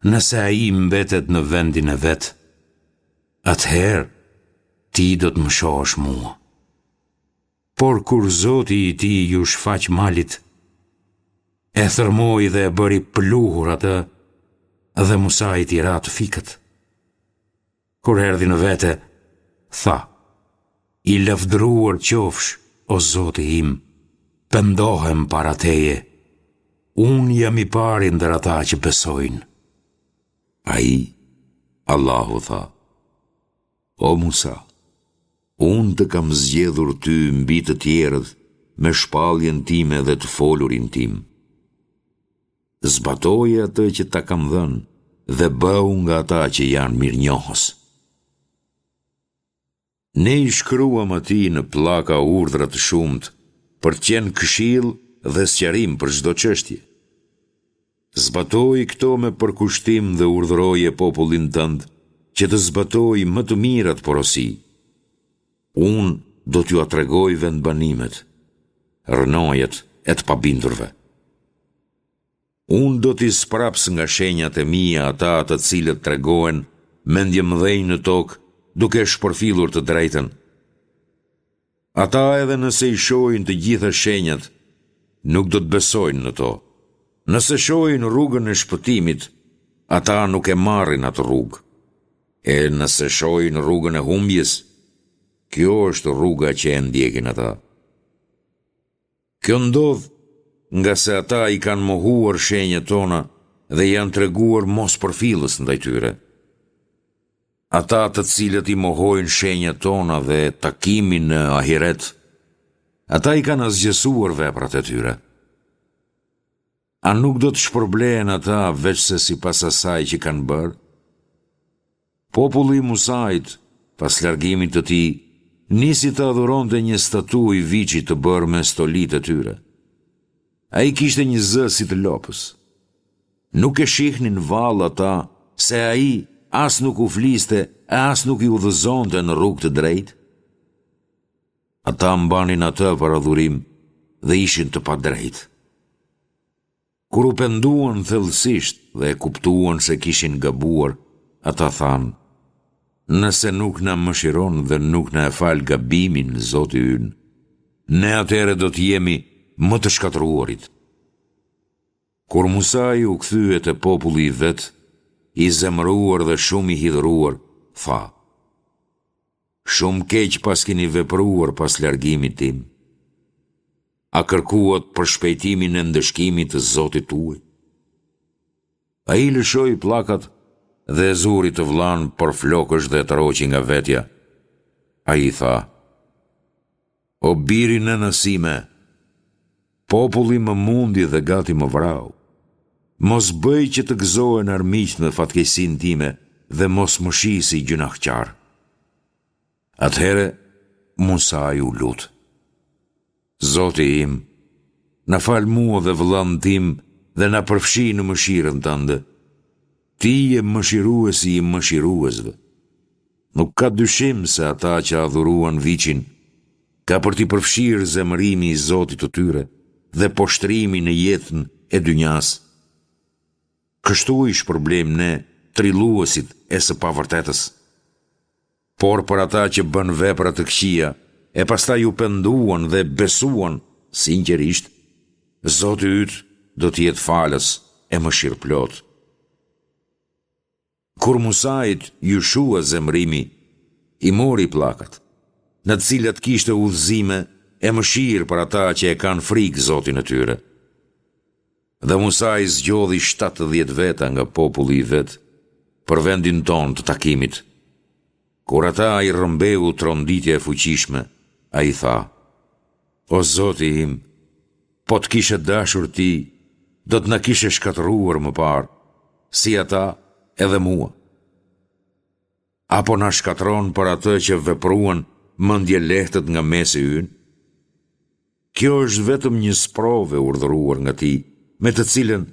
Nëse ai mbetet në vendin e vet, atëherë ti do të më shohësh mua. Por kur Zoti i tij iu shfaq malit, e thërrmoi dhe e bëri pluhur atë dhe Musait i ra të fikët. Kur erdhi në vete, tha, I lavdëruar qofsh, o Zoti im, pendohem para teje, unë jam i pari ndër ata që besojnë. Ai, Allahu tha, O Musa, unë të kam zgjedhur ty mbi të tjerët me shpalljen time dhe të folurin tim. Zbatoje atë që ta kam dhënë dhe bëhu nga ata që janë mirënjohës. Ne i shkruam atij në pllaka urdhra të shumtë për të qenë këshillë dhe sqarim për çdo çështje. Zbatoji këto me përkushtim dhe urdhëroje popullin tënd që të zbatojë më të mirat porosi. Unë do t'jua tregoj vendbanimet, rrënojat e të pabindurve. Unë do t'i spraps nga shenjat e mia ata të cilët tregohen mendjemëdhenj në tokë duke shpërfillur të drejtën. Ata edhe nëse i shohin të gjitha shenjat, nuk do të besojnë në to. Nëse shohin rrugën e shpëtimit, ata nuk e marrin atë rrugë. E nëse shohin rrugën e humbjes, kjo është rruga që e ndjekin ata. Kjo ndodh ngase ata i kanë mohuar shenjat tona dhe janë treguar mospërfillës ndaj tyre. Ata të cilët i mohojnë shenjat tona dhe takimin në ahiret, ata i kanë asgjësuar veprat e tyre. A nuk do të shpërblehen ata veçse sipas asaj që kanë bërë? Populli i Musait, pas largimit të tij, nisi të adhuronte një statujë viçi të bërë me stolitë e tyre. Ai kishte një zë si të lopës. Nuk e shihnin vallë ata se ai as nuk u fliste e as nuk i udhëzonte në rrugë të drejtë? Ata mbanin atë për adhurim dhe ishin të padrejtë. Kur u penduan thellësisht dhe e kuptuan se kishin gabuar, ata thanë, Nëse nuk na mëshiron dhe nuk na e fal gabimin, Zoti ynë, ne atëherë do të jemi më të shkatërruarit. Kur Musai u kthye te populli i vet, i zemëruar dhe shumë i hidhëruar, tha: Shumë keq paskeni vepruar pas largimit tim. A kërkuat përshpejtimin e ndëshkimit të Zotit tuaj? Ai lëshoi pllakat dhe e zuri të vëllanë për flokësh dhe e tërhoqi nga vetja. Ai tha: O bir i nënës sime, populli më mundi dhe gati më vrau. Mos bëj që të gëzohen armiqtë me fatkeqësinë time dhe mos më shih si gjynahqar. Atëherë Musai u lut. Zoti im, na fal mua dhe vëllanë tim dhe na përfshi në mëshirën tënde. Ti je mëshiruesi i mëshiruesve. Nuk ka dyshim se ata që adhuruan viçin, ka për t'i përfshirë zemërimi i Zotit të tyre dhe poshtërimi në jetën e dynjasë. Kështu i shpërblejmë ne trilluesit e së pavërtetës. Por për ata që bënë vepra të këqija e pastaj u penduan dhe besuan sinqerisht, Zoti yt do të jetë falës e mëshirëplotë. Kur Musait iu shua zemërimi, i mori pllakat, në të cilat kishte udhëzime e mëshirë për ata që e kanë frikë Zotin e tyre. Dhe Musai zgjodhi shtatëdhjetë veta nga populli i vet për vendin tonë të takimit. Kur ata i rrëmbeu tronditja e fuqishme, ai tha: O Zoti im, po të kishe dashur ti, do të na kishe shkatërruar më parë, si ata edhe mua. Apo na shkatërron për atë që vepruan mendjelehtët nga mesi ynë? Kjo është vetëm një sprovë e urdhëruar nga ti, me të cilën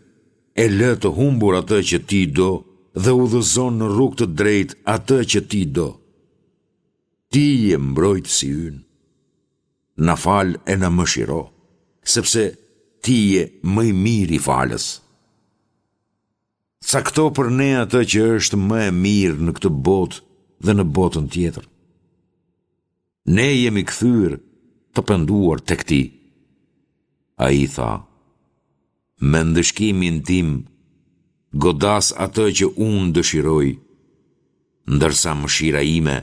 e lë të humbur atë që ti do dhe udhëzon në rrugë të drejtë atë që ti do. Ti je mbrojtësi ynë. Na fal e na mëshiro, sepse ti je më i miri falës. Cakto për ne atë që është më e mirë në këtë botë dhe në botën tjetër. Ne jemi kthyer të penduar tek ti. Ai tha: Me ndëshkimin tim godas atë që unë dëshiroj, ndërsa mëshira ime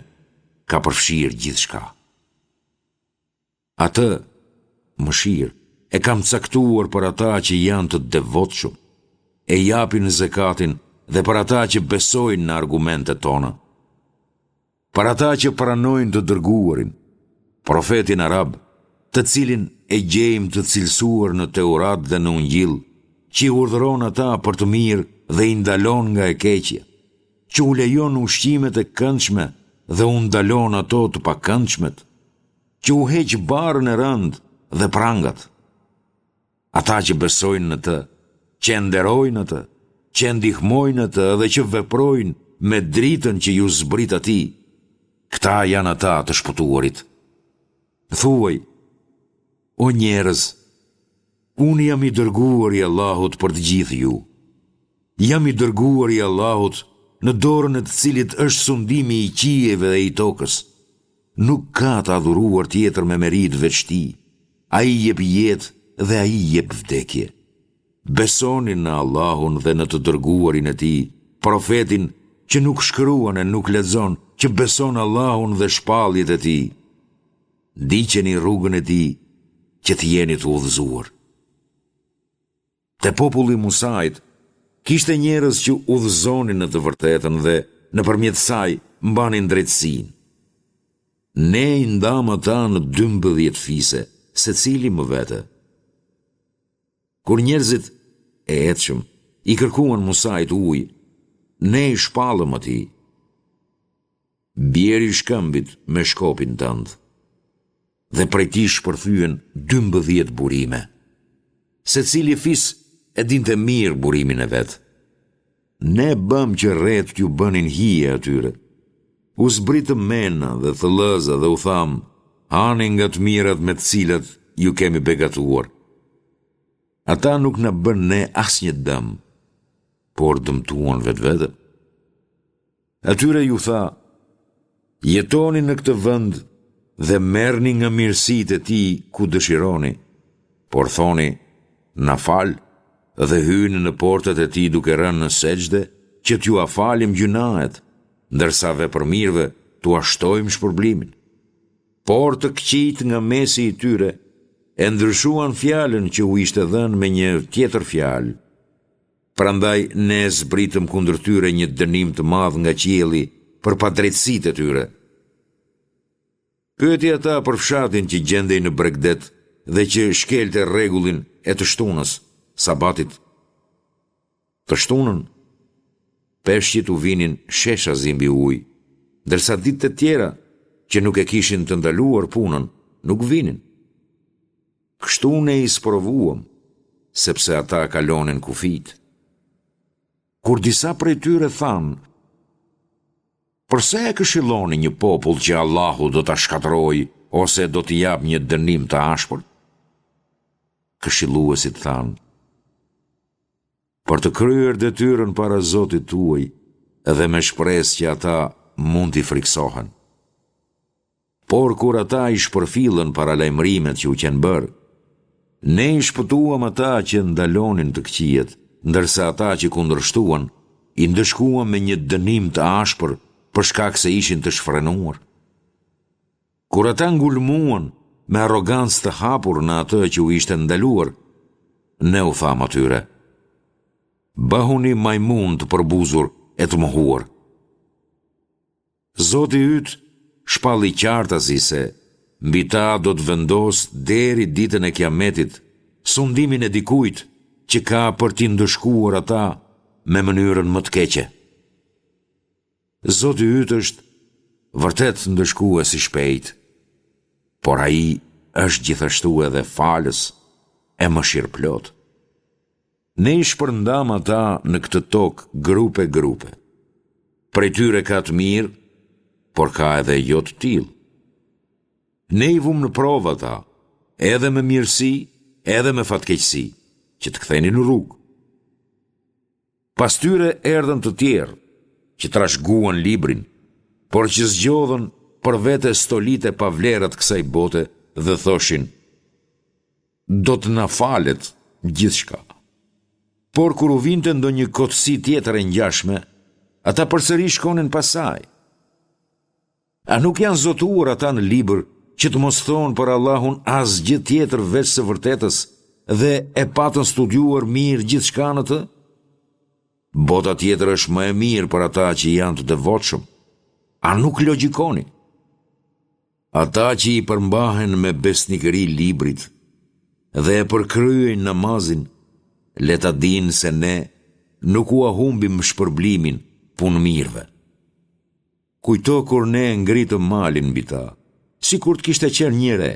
ka përfshirë gjithçka. Atë mëshirë e kam caktuar për ata që janë të devotshëm, e japin zekatin dhe për ata që besojnë në argumentet tona. Për ata që pranojnë të dërguarin, profetin arab, të cilin e gjejmë të cilësuar në Teurat dhe në Ungjill, që i urdhëron ata për të mirë dhe i ndalon nga e keqja, që u lejon ushqimet e këndshme dhe u ndalon ato të pakëndshmet, që u heq barrën e rëndë dhe prangat. Ata që besojnë në të, që e nderojnë atë, që e ndihmojnë atë dhe që veprojnë me dritën që iu zbrit atij, këta janë ata të shpëtuarit. Thuaj, o njerëz, unë jam i dërguar i Allahut për të gjithë ju. Jam i dërguar i Allahut, në dorën e të cilit është sundimi i qiejve dhe i tokës. Nuk ka të adhuruar tjetër me meritë veç tij. Ai jep jetë dhe ai jep vdekje. Besoni në Allahun dhe në të dërguarin e tij, profetin që nuk shkruan e nuk lexon, që beson Allahun dhe shpalljet e tij. Ndiqeni rrugën e tij që të jeni të udhëzuar. Te populli i Musait kishte njerëz që udhëzonin në të vërtetën dhe nëpërmjet saj mbanin drejtësinë. Ne i ndamë ata në dymbëdhjetë fise, secili më vete. Kur njerëzit e etshëm i kërkuan Musait ujë, ne i shpallëm atij: Bjeri shkëmbit me shkopin tënd. Dhe prej tij shpërthyen dymbëdhjetë burime. Secili fis e dinte mirë burimin e vet. Ne bëmë që retë t'u bënin hije atyre. U zbritëm mena dhe thëllëza dhe u thamë, hani nga të mirat me të cilat ju kemi begatuar. Ata nuk na bënë ne asnjë dëm, por dëmtuan vetveten. Atyre iu tha, Jetoni në këtë vend dhe merrni nga mirësitë e tij ku dëshironi, por thoni, na fal dhe hyni në portat e tij duke rënë në sexhde që t'jua falim gjynahet, ndërsa vepërmirëve t'ua shtojmë shpërblimin. Por të këqijtë nga mesi i tyre e ndryshuan fjalën që u ishte dhënë me një tjetër fjalë. Prandaj ne zbritëm kundër tyre një dënim të madh nga qielli për padrejtësitë e tyre. Pyeti ata për fshatin që gjendej në bregdet dhe që shkelte rregullin e të shtunës, sabatit. Të shtunën, peshqit u vinin sheshazi mbi ujë, ndërsa ditët e tjera, që nuk e kishin të ndaluar punën, nuk vinin. Kështu ne i sprovuam, sepse ata kalonin kufijtë. Kur disa prej tyre thanë, Përse e këshilloni një popull që Allahu do ta shkatërrojë ose do t'i japë një dënim të ashpër? Këshilluesit thanë, Për të kryer detyrën para Zotit tuaj dhe me shpresë që ata mund t'i frikësohen. Por kur ata i shpërfillën paralajmërimet që u qenë bërë, ne i shpëtuam ata që ndalonin të këqijat, ndërsa ata që kundërshtuan, i ndëshkuam me një dënim të ashpër për shkak se ishin të shfrenuar. Kur ata ngulmuan me arrogancë të hapur në atë që u ishte ndaluar, ne u thamë atyre, Bëhuni majmunë të përbuzur e të mohuar. Zoti yt shpalli qartazi se mbi ta do të vendosë deri ditën e Kiametit sundimin e dikujt që ka për t'i ndëshkuar ata me mënyrën më të keqe. Zoti yt është vërtet ndëshkues i shpejtë, por ai është gjithashtu edhe falës e mëshirëplotë. Ne i shpërndamë ata në këtë tokë grupe grupe. Prej tyre ka të mirë, por ka edhe jo të tillë. Ne i vumë në provë ata, edhe me mirësi, edhe me fatkeqësi, që të kthenin në rrugë. Pas tyre erdhën të tjerë, që trashëguan librin, por që zgjodhën për vete stolitë e pavlera të kësaj bote dhe thoshin, do të na falet gjithçka. Por kur u vinte ndonjë kotësi tjetër e ngjashme, ata përsëri shkonin pas saj. A nuk janë zotuar ata në libër që të mos thonë për Allahun asgjë tjetër veç së vërtetës dhe e patën studiuar mirë gjithçka në të? Bota tjetër është më e mirë për ata që janë të devotshëm. A nuk logjikoni? Ata që i përmbahen me besnikëri librit dhe e përkryejnë namazin, le ta dinë se ne nuk ua humbim shpërblimin punëmirëve. Kujto kur ne e ngritëm malin mbi ta, sikur të kishte qenë një re,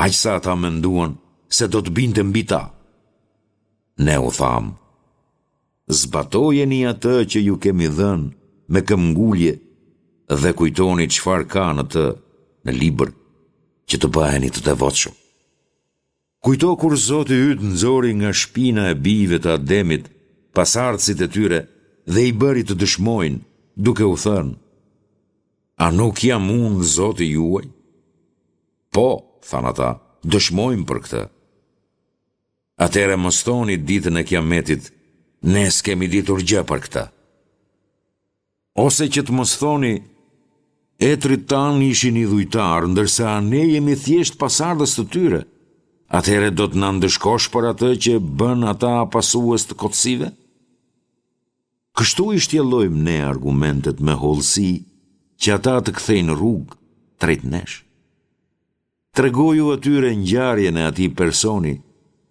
aq sa ata menduan se do të binte mbi ta. Ne u thamë, zbatojeni atë që ju kemi dhënë me këmbëngulje dhe kujtoni çfarë ka në të në libër që të bëheni të devotshëm. Kujto kur Zoti yt nxori nga shpina e bijve të Ademit pasardhësit e tyre dhe i bëri të dëshmojnë, duke u thënë, A nuk jam unë Zoti juaj? Po, thanë ata, dëshmojmë për këtë. Atëherë mos thoni ditën e Kiametit, ne s'kemi ditur gjë për këtë. Ose që të mos thoni, etërit tanë ishin idhujtarë, ndërsa ne jemi thjesht pasardhës të tyre, atëherë do të na ndëshkosh për atë që bënë ata pasues të kotësive? Kështu i shtjellojmë ne argumentet me hollësi që ata të kthejnë rrugë drejt nesh. Tregoju atyre ngjarjen e atij personi,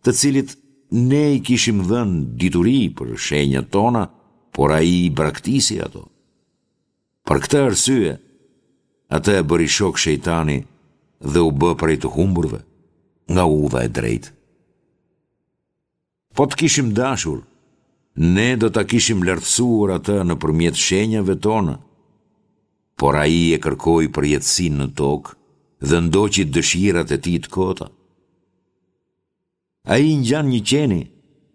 të cilit ne i kishim dhënë dituri për shenjat tona, por ai i braktisi ato. Për këtë arsye, atë e bëri shok shejtani dhe u bë prej të humburve nga udha e drejtë. Po të kishim dashur, ne do ta kishim lartësuar atë nëpërmjet shenjave tona, por ai e kërkoi përjetësinë në tokë dhe ndoqi dëshirat e tij të kota. Ai ngjan një qeni,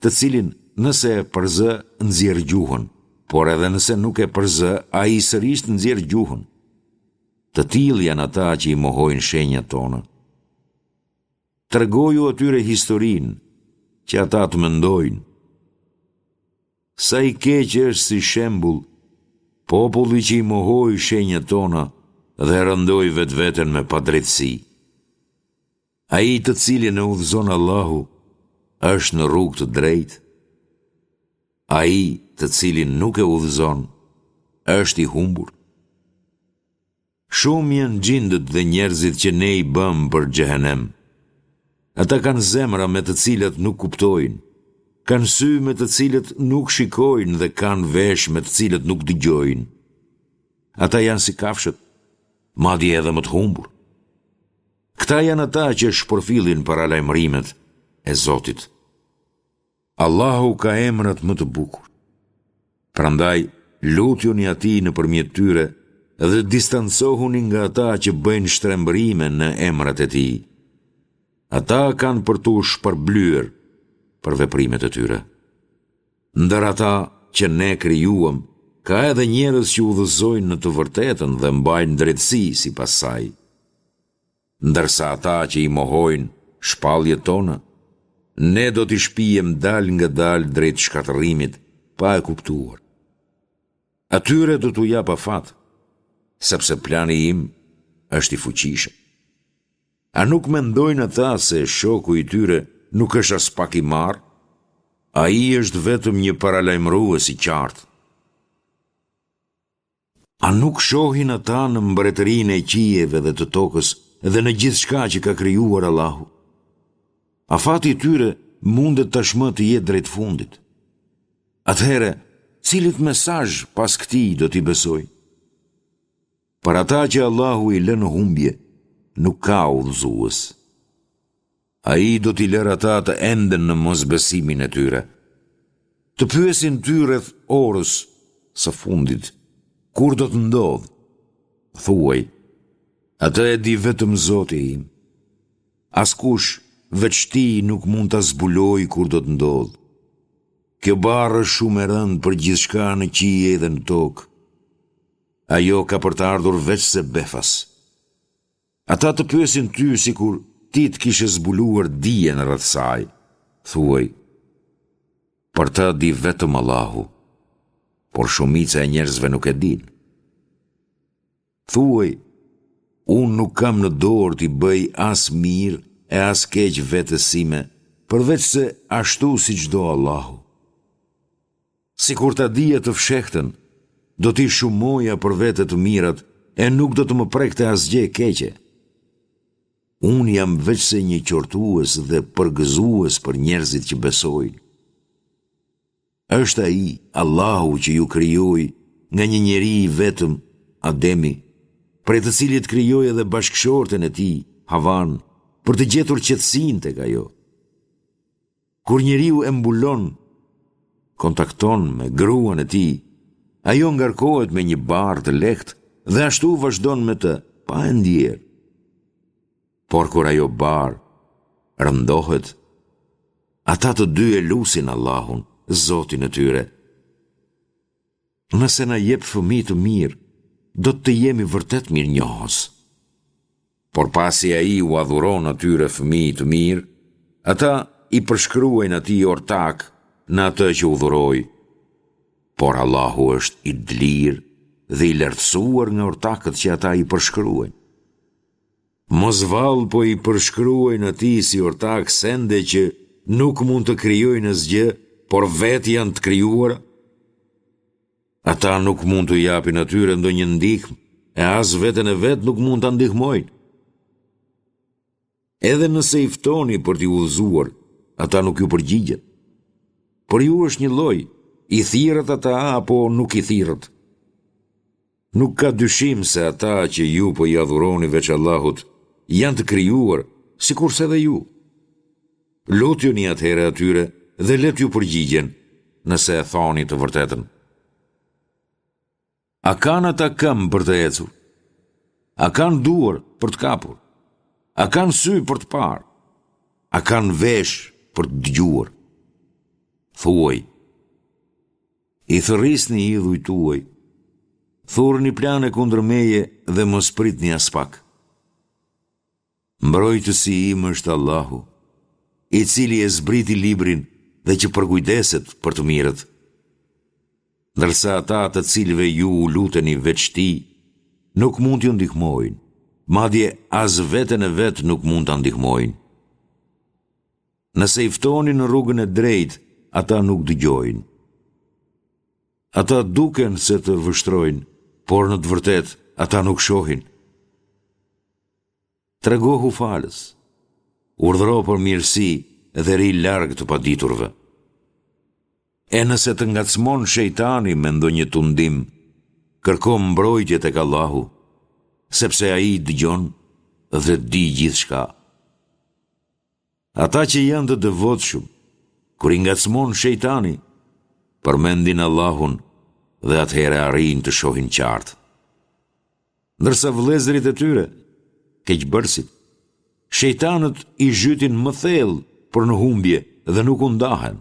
të cilin nëse e përzë nxjerr gjuhën, por edhe nëse nuk e përzë, ai sërish nxjerr gjuhën. Të tillë janë ata që i mohojnë shenjat tona. Tregoju atyre historinë, që ata të mendojnë. Sa i keq është si shembull populli që i mohoi shenjat tona dhe e rëndoi vetveten me padrejtësi. Ai të cilin e udhëzon Allahu është në rrugë të drejtë. Ai të cilin nuk e udhëzon është i humbur. Shumë janë xhindët dhe njerëzit që ne i bëmë për xhehenem. Ata kanë zemra me të cilat nuk kuptojnë, kanë sy me të cilët nuk shikojnë dhe kanë veshë me të cilët nuk dëgjojnë. Ata janë si kafshët, madje edhe më të humbur. Këta janë ata që shpërfillin paralajmërimet e Zotit. Allahu ka emrat më të bukur. Prandaj, lutjuni atij nëpërmjet tyre dhe distancohuni nga ata që bëjnë shtrembërime në emrat e tij. Ata kanë për t'u shpërblyer për veprimet e tyre. Ndër ata që ne krijuam, ka edhe njerëz që udhëzojnë në të vërtetën dhe mbajnë drejtësi sipas saj. Ndërsa ata që i mohojnë shpalljet tona, ne do t'i shpiem dalëngadalë drejt shkatërrimit, pa e kuptuar. Atyre do t'u jap afat, sepse plani im është i fuqishëm. A nuk mendojnë ata se shoku i tyre nuk është aspak i marrë? Ai është vetëm një paralajmërues i qartë. A nuk shohin ata në mbretërinë e qiejve dhe të tokës dhe në gjithçka që ka krijuar Allahu? Afati i tyre mundet tashmë të jetë drejt fundit. Atëherë, cilit mesazh pas këtij do t'i besojnë? Për ata që Allahu i lë në humbje, nuk ka udhëzues. Ai do t'i lërë ata të enden në mosbesimin e tyre. Të pyesin ty rreth orës së fundit, kur do të ndodhë? Thuaj, atë e di vetëm Zoti im. Askush veç tij nuk mund ta zbulojë kur do të ndodhë. Kjo barrë është shumë e rëndë për gjithçka në qiej dhe në tokë. Ajo ka për të ardhur veçse befas. Ata të pyesin ty sikur ti të kishe zbuluar dijen rreth saj. Thuaj, për të di vetëm Allahu, por shumica e njerëzve nuk e dinë. Thuaj, unë nuk kam në dorë t'i bëj as mirë e as keq vetes sime, përveçse ashtu siç do Allahu. Sikur ta dija të fshehtën, do t'i shumoja për vete të mirat e nuk do të më prekte asgjë e keqe. Unë jam veçse një qortues dhe përgëzues për njerëzit që besojnë. Është Ai, Allahu që ju krijoi nga një njeri i vetëm, Ademi, prej të cilit krijoi edhe bashkëshorten e tij, Havanë, për të gjetur qetësinë tek ajo. Kur njeriu e mbulon, kontakton me gruan e tij, ajo ngarkohet me një barrë të lehtë dhe ashtu vazhdon me të, pa e ndier. Por kur ajo barrë rëndohet, ata të dy e lusin Allahun, Zotin e tyre. Nëse na jep fëmijë të mirë, do të të jemi vërtet mirënjohës. Por pasi ai ua dhuron atyre fëmijë të mirë, ata i përshkruajnë atij ortakë në atë që u dhuroi. Por Allahu është i dlirë dhe i lartësuar nga ortakët që ata i përshkruajnë. Mos vallë po i përshkruajnë atij si ortakë sende që nuk mund të krijojnë asgjë, por vetë janë të krijuara? Ata nuk mund t'u japin atyre ndonjë ndihmë e as veten e vet nuk mund ta ndihmojnë. Edhe nëse i ftoni për t'i udhëzuar, ata nuk ju përgjigjen. Për ju është njëlloj, i thirrët ata apo nuk i thirrët. Nuk ka dyshim se ata që ju po i adhuroni veç Allahut, janë të krijuar, sikurse edhe ju. Lutjuni atëherë atyre dhe le t'ju përgjigjen, nëse e thoni të vërtetën. A kanë ata këmbë për të ecur? A kanë duar për të kapur? A kanë sy për të parë? A kanë veshë për të dëgjuar? Thuaj, I thërrisni idhujt tuaj Thurni plane kundër meje dhe mos pritni aspak. Mbrojtësi im është Allahu, i cili e zbriti librin dhe që përkujdeset për të mirët. Ndërsa ata të cilëve ju u luteni veç tij, nuk mund t'ju ndihmojnë, madje as veten e vet nuk mund ta ndihmojnë. Nëse i ftoni në rrugën e drejtë, ata nuk dëgjojnë. Ata duken se të vështrojnë, por në të vërtetë ata nuk shohin. Tregohu falës, urdhëro për mirësi dhe rri larg të paditurve. E nëse të ngacmon shejtani me ndonjë tundim, kërko mbrojtje tek Allahu, sepse Ai dëgjon dhe di gjithçka. Ata që janë të devotshëm, kur i ngacmon shejtani, përmendin Allahun dhe atëherë arrijnë të shohin qartë. Ndërsa vëllezërit e tyre, keqbërësit, shejtanët i zhytin më thellë për në humbje dhe nuk u ndahen.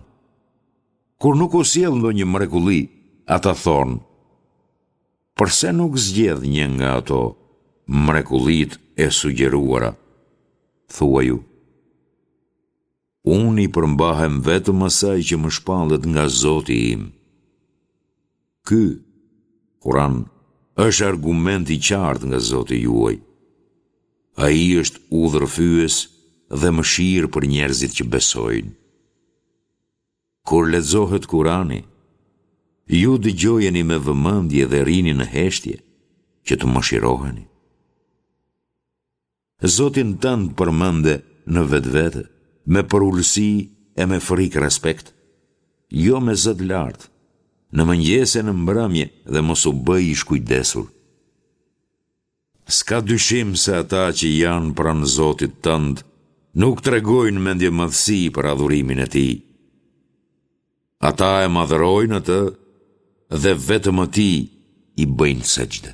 Kur nuk u sjell ndonjë mrekulli, ata thonë, përse nuk zgjedh një nga ato mrekullitë e sugjeruara? Thuaju, unë i përmbahem vetëm asaj që më shpallet nga Zoti im. Ky, Kur'an, është argument i qartë nga Zoti juaj. Ai është udhërrëfyes dhe mëshirë për njerëzit që besojnë. Kur lexohet Kur'ani, ju dëgjojeni me vëmendje dhe rrini në heshtje, që të mëshiroheni. Zotin tënd përmende në vetvete, me përulësi e me frikë respekt, jo me zë të lartë, në mëngjes e në mbrëmje dhe mos u bëj i shkujdesur. S'ka dyshim se ata që janë pranë Zotit tënd nuk tregojnë mendjemadhësi për adhurimin e Tij. Ata e madhërojnë atë dhe vetëm atij i bëjnë sexhde.